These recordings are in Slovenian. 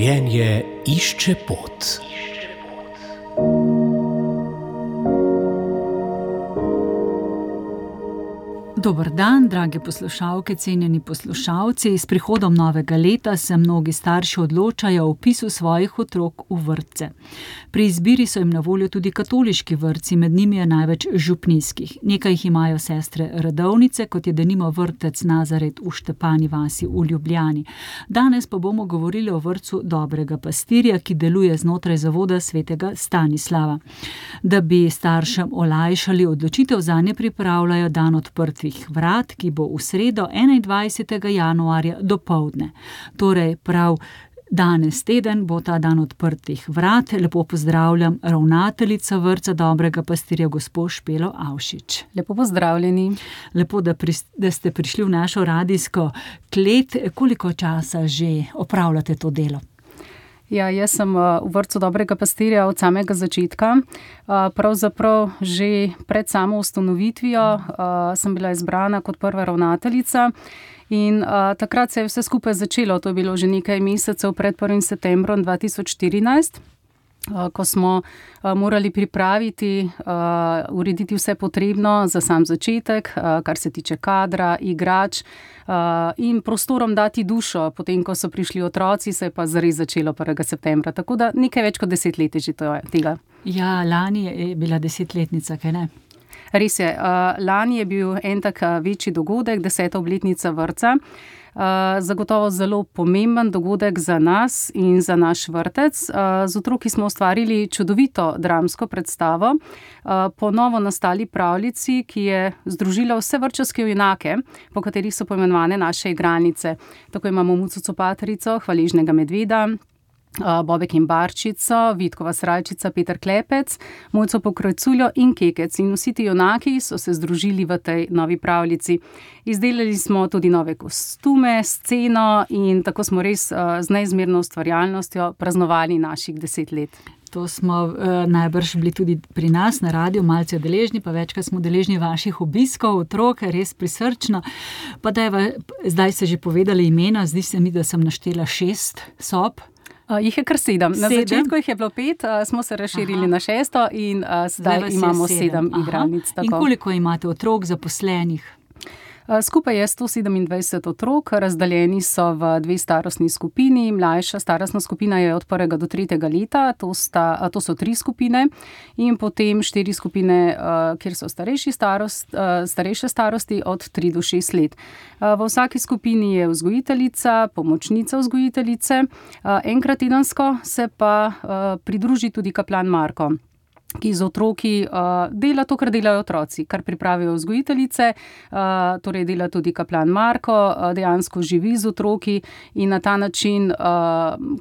Življenje išče pot. Dober dan, drage poslušalke, cenjeni poslušalci. S prihodom novega leta se mnogi starši odločajo o vpisu svojih otrok v vrtce. Pri izbiri so jim na voljo tudi katoliški vrtci, med njimi je največ župnijskih. Nekaj jih imajo sestre redovnice, kot je denimo vrtec Nazaret v Štepani vasi v Ljubljani. Danes pa bomo govorili o vrtcu Dobrega pastirja, ki deluje znotraj zavoda svetega Stanislava. Da bi staršem olajšali odločitev, zanje pripravljajo dan odprtih vrat, ki bo v sredo 21. januarja dopoldne. Torej prav danes teden bo ta dan odprtih vrat. Lepo pozdravljam ravnateljico vrtca Dobrega pastirja, gospo Špelo Avšič. Lepo pozdravljeni. Lepo, da ste prišli v našo radijsko klet. Koliko časa že opravljate to delo? Ja, jaz sem v vrtcu Dobrega pastirja od samega začetka. Pravzaprav že pred samo ustanovitvijo sem bila izbrana kot prva ravnateljica in takrat se je vse skupaj začelo. To je bilo že nekaj mesecev pred 1. septembrom 2014. Ko smo morali pripraviti, urediti vse potrebno za sam začetek, kar se tiče kadra, igrač in prostorom dati dušo. Potem, ko so prišli otroci, se je pa zares začelo 1. septembra. Tako da nekaj več kot 10 let je že tega. Ja, lani je bila 10-letnica, kaj ne? Res je. Lani je bil en tak večji dogodek, 10. obletnica vrtca. Zagotovo zelo pomemben dogodek za nas in za naš vrtec. Z otroki smo ustvarili čudovito dramsko predstavo po novo nastali pravljici, ki je združila vse vrtčevske junake, po katerih so poimenovane naše igralnice. Tako imamo Muco Copaterico, Hvaležnega medveda, Bobek in Barčico, Vitkova srajčica, Peter Klepec, Mojco Pokrajculjo in Kekec. In vsi ti junaki so se združili v tej novi pravljici. Izdelali smo tudi nove kostume, sceno in tako smo res z neizmerno ustvarjalnostjo praznovali naših 10 let. To smo najbrž bili tudi pri nas na radiu malce deležni, pa večkrat smo deležni vaših obiskov, otrok, res prisrčno. Pa zdaj ste že povedali imena, zdi se mi, da sem naštela 6 sob. Jih je kar 7. Na začetku jih je bilo 5, smo se razširili na 6 in zdaj imamo 7 igralnic. In koliko imate otrok zaposlenih? Skupaj je 127 otrok, razdeljeni so v 2 starostni skupini. Mlajša starostna skupina je od 1. do 3. leta, to so 3 skupine in potem 4 skupine, kjer so starejše starosti od 3 do 6 let. V vsaki skupini je vzgojiteljica, pomočnica vzgojiteljice, enkrat tedensko se pa pridruži tudi kaplan Marko, ki z otroki dela to, kar delajo otroci, kar pripravijo vzgojiteljice, torej dela tudi kaplan Marko, dejansko živi z otroki in na ta način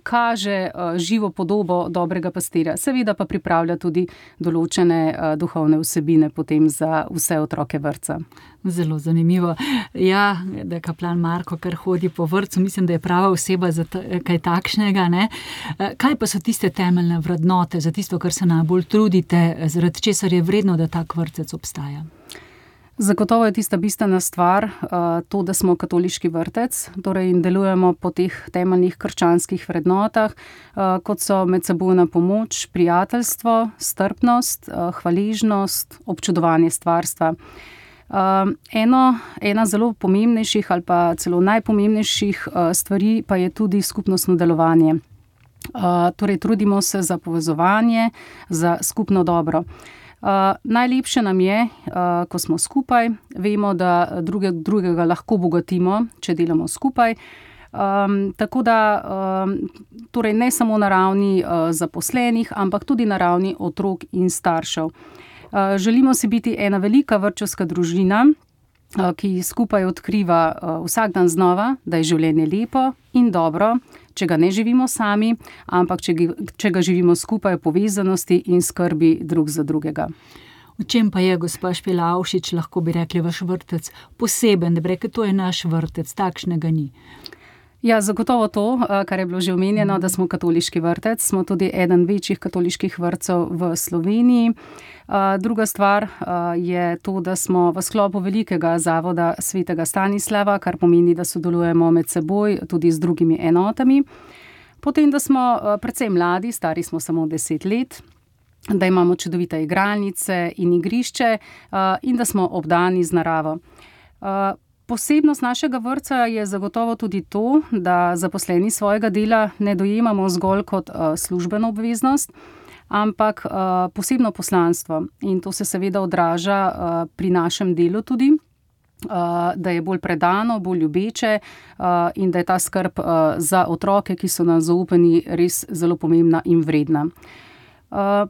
kaže živo podobo Dobrega pastirja. Seveda pa pripravlja tudi določene duhovne vsebine potem za vse otroke vrtca. Zelo zanimivo. Ja, da kaplan Marko kar hodi po vrtcu, mislim, da je prava oseba za kaj takšnega, ne? Kaj pa so tiste temeljne vrednote, za tisto, kar se najbolj trudite, zaradi česar je vredno, da tak vrtec obstaja? Zagotovo je tista bistvena stvar to, da smo katoliški vrtec, torej in delujemo po teh temeljnih krščanskih vrednotah, kot so medsebojna pomoč, prijateljstvo, strpnost, hvaležnost, občudovanje stvarstva. Ena zelo pomembnejših ali pa celo najpomembnejših stvari pa je tudi skupnostno delovanje. Torej trudimo se za povezovanje, za skupno dobro. Najlepše nam je, ko smo skupaj, vemo, da drugega lahko bogatimo, če delamo skupaj. Tako da torej ne samo na ravni zaposlenih, ampak tudi na ravni otrok in staršev. Želimo si biti ena velika vrtčevska družina, ki skupaj odkriva vsak dan znova, da je življenje lepo in dobro, če ga ne živimo sami, ampak če ga živimo skupaj v povezanosti in skrbi drug za drugega. V čem pa je, gospa Špela Avšič, lahko bi rekli, vaš vrtec poseben, da bi rekli, to je naš vrtec, takšnega ni? Ja, zagotovo to, kar je bilo že omenjeno, da smo katoliški vrtec, smo tudi eden večjih katoliških vrtcev v Sloveniji. Druga stvar je to, da smo v sklopu velikega zavoda svetega Stanislava, kar pomeni, da sodelujemo med seboj tudi z drugimi enotami. Potem, da smo precej mladi, stari smo samo 10 let, da imamo čudovite igralnice in igrišče in da smo obdani z naravo. Posebnost našega vrtca je zagotovo tudi to, da zaposleni svojega dela ne dojemamo zgolj kot službeno obveznost, ampak posebno poslanstvo. In to se seveda odraža pri našem delu tudi, da je bolj predano, bolj ljubeče in da je ta skrb za otroke, ki so nam zaupani, res zelo pomembna in vredna.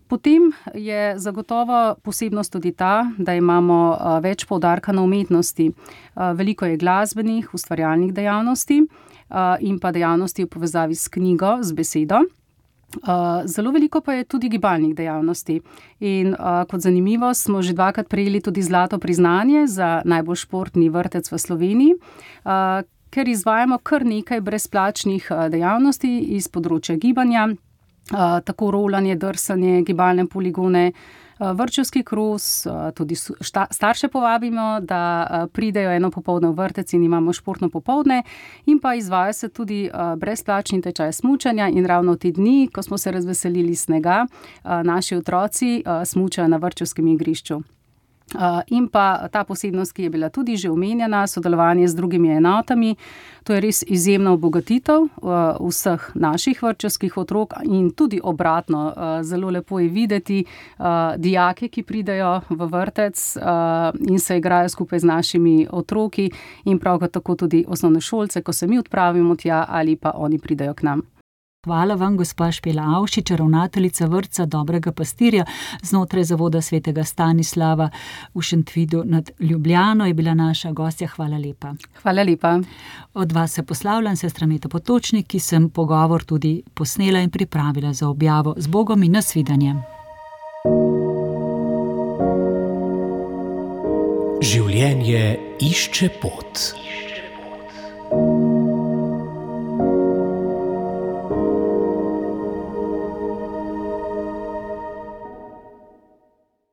Potem je zagotovo posebnost tudi ta, da imamo več poudarka na umetnosti. Veliko je glasbenih, ustvarjalnih dejavnosti in pa dejavnosti v povezavi s knjigo, z besedo. Zelo veliko pa je tudi gibalnih dejavnosti. In kot zanimivo smo že 2-krat prejeli tudi zlato priznanje za najbolj športni vrtec v Sloveniji, ker izvajamo kar nekaj brezplačnih dejavnosti iz področja gibanja, tako rolanje, drsanje, gibalne poligone, vrtčevski kros, tudi starše povabimo, da pridejo eno popoldne v vrtec in imamo športno popoldne, in pa izvaja se tudi brezplačni tečaj smučanja in ravno te dni, ko smo se razveselili snega, naši otroci smučajo na vrtčevskem igrišču. In pa ta posebnost, ki je bila tudi že omenjena, sodelovanje z drugimi enotami, to je res izjemna obogatitev vseh naših vrtčevskih otrok in tudi obratno. Zelo lepo je videti dijake, ki pridejo v vrtec in se igrajo skupaj z našimi otroki, in prav tako tudi osnovnošolce, ko se mi odpravimo tja ali pa oni pridejo k nam. Hvala vam, gospa Špela Avšič, ravnateljica vrtca Dobrega pastirja znotraj Zavoda svetega Stanislava v Šentvidu nad Ljubljano, je bila naša gostja. Hvala lepa. Hvala lepa. Od vas se poslavljam, sestra Meta Potočnik, ki sem pogovor tudi posnela in pripravila za objavo. Z Bogom in nasvidenje. Življenje išče pot.